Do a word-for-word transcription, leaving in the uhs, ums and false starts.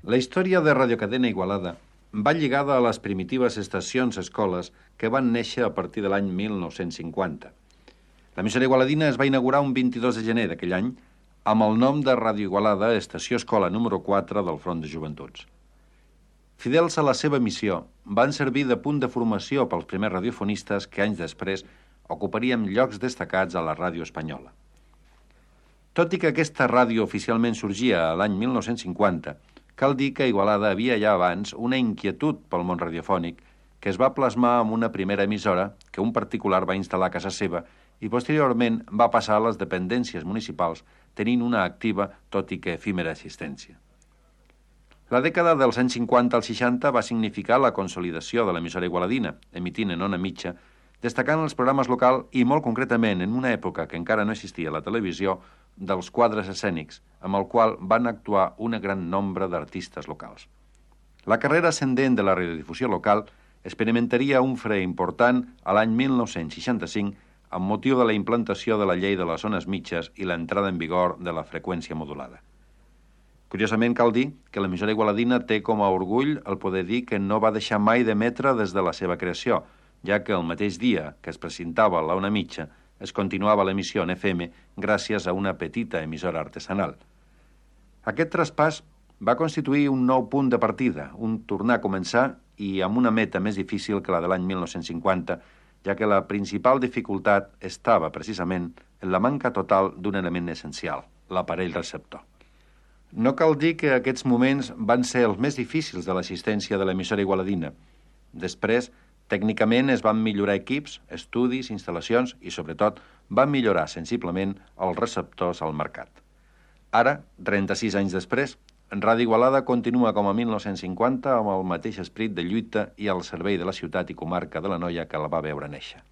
La història de Radiocadena Igualada va lligada a les primitives estacions-escoles que van néixer a partir de l'any mil nou-cents cinquanta. L'emissora igualadina es va inaugurar un vint-i-dos de gener d'aquell any amb el nom de Ràdio Igualada, estació escola número quatre del Front de Joventuts. Fidels a la seva missió, van servir de punt de formació pels primers radiofonistes que anys després ocuparíem llocs destacats a la ràdio espanyola. Tot i que aquesta ràdio oficialment sorgia a l'any mil nou-cents cinquanta, cal dir que a Igualada havia ja abans una inquietud pel món radiofònic que es va plasmar amb una primera emissora que un particular va instal·lar a casa seva i posteriorment va passar a les dependències municipals tenint una activa, tot i que efímera assistència. La dècada dels anys cinquanta al seixanta va significar la consolidació de l'emissora igualadina, emitint en ona mitja, destacant els programes locals i molt concretament en una època que encara no existia la televisió, dels quadres escènics, amb el qual van actuar un gran nombre d'artistes locals. La carrera ascendent de la radiodifusió local experimentaria un fre important a l'any mil nou-cents seixanta-cinc amb motiu de la implantació de la llei de les zones mitges i l'entrada en vigor de la freqüència modulada. Curiosament cal dir que l'emissora igualadina té com a orgull el poder dir que no va deixar mai d'emetre des de la seva creació, ja que el mateix dia que es presentava la ona mitja es continuava l'emissió en F M gràcies a una petita emissora artesanal. Aquest traspàs va constituir un nou punt de partida, un tornar a començar i amb una meta més difícil que la de l'any mil nou-cents cinquanta, ja que la principal dificultat estava precisament en la manca total d'un element essencial, l'aparell receptor. No cal dir que aquests moments van ser els més difícils de l'assistència de l'emissora igualadina. Després, tècnicament es van millorar equips, estudis, instal·lacions i, sobretot, van millorar sensiblement els receptors al mercat. Ara, trenta-sis anys després, Ràdio Igualada continua com a mil nou-cents cinquanta amb el mateix esperit de lluita i al servei de la ciutat i comarca de l'Anoia que la va veure néixer.